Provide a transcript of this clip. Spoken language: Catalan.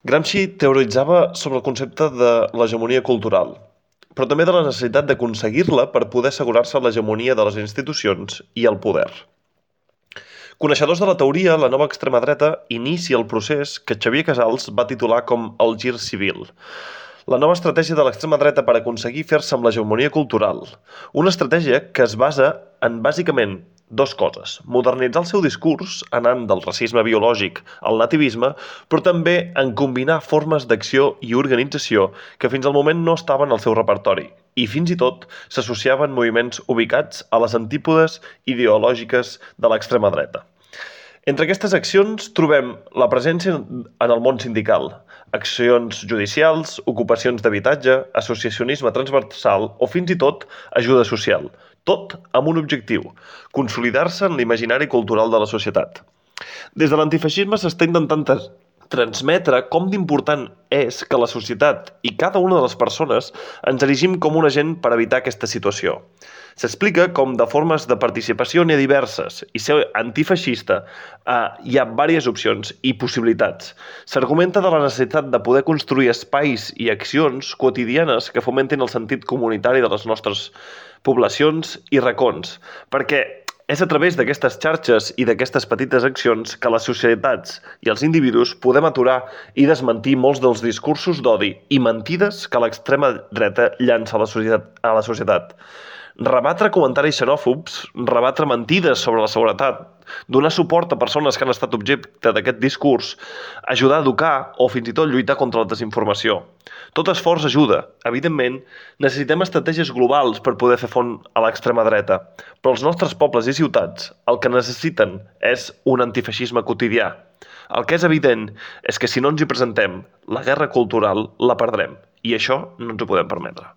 Gramsci teoritzava sobre el concepte de l'hegemonia cultural, però també de la necessitat d'aconseguir-la per poder assegurar-se l'hegemonia de les institucions i el poder. Coneixedors de la teoria, la nova extrema dreta inicia el procés que Xavier Casals va titular com el gir civil. La nova estratègia de l'extrema dreta per aconseguir fer-se amb l'hegemonia cultural. Una estratègia que es basa en bàsicament dues coses: modernitzar el seu discurs, anant del racisme biològic al nativisme, però també en combinar formes d'acció i organització que fins al moment no estaven al seu repertori i fins i tot s'associaven moviments ubicats a les antípodes ideològiques de l'extrema dreta. Entre aquestes accions trobem la presència en el món sindical, accions judicials, ocupacions d'habitatge, associacionisme transversal o fins i tot ajuda social, tot amb un objectiu: consolidar-se en l'imaginari cultural de la societat. Des de l'antifeixisme s'està intentant transmetre com d'important és que la societat i cada una de les persones ens erigim com un agent per evitar aquesta situació. S'explica com de formes de participació n'hi ha diverses i ser antifeixista hi ha diverses opcions i possibilitats. S'argumenta de la necessitat de poder construir espais i accions quotidianes que fomentin el sentit comunitari de les nostres poblacions i racons, perquè és a través d'aquestes xarxes i d'aquestes petites accions que les societats i els individus podem aturar i desmentir molts dels discursos d'odi i mentides que l'extrema dreta llança a la societat. Rebatre comentaris xenòfobs, rebatre mentides sobre la seguretat, donar suport a persones que han estat objecte d'aquest discurs, ajudar a educar o fins i tot lluitar contra la desinformació. Tot esforç ajuda. Evidentment, necessitem estratègies globals per poder fer front a l'extrema dreta, però els nostres pobles i ciutats el que necessiten és un antifeixisme quotidià. El que és evident és que si no ens hi presentem, la guerra cultural la perdrem, i això no ens ho podem permetre.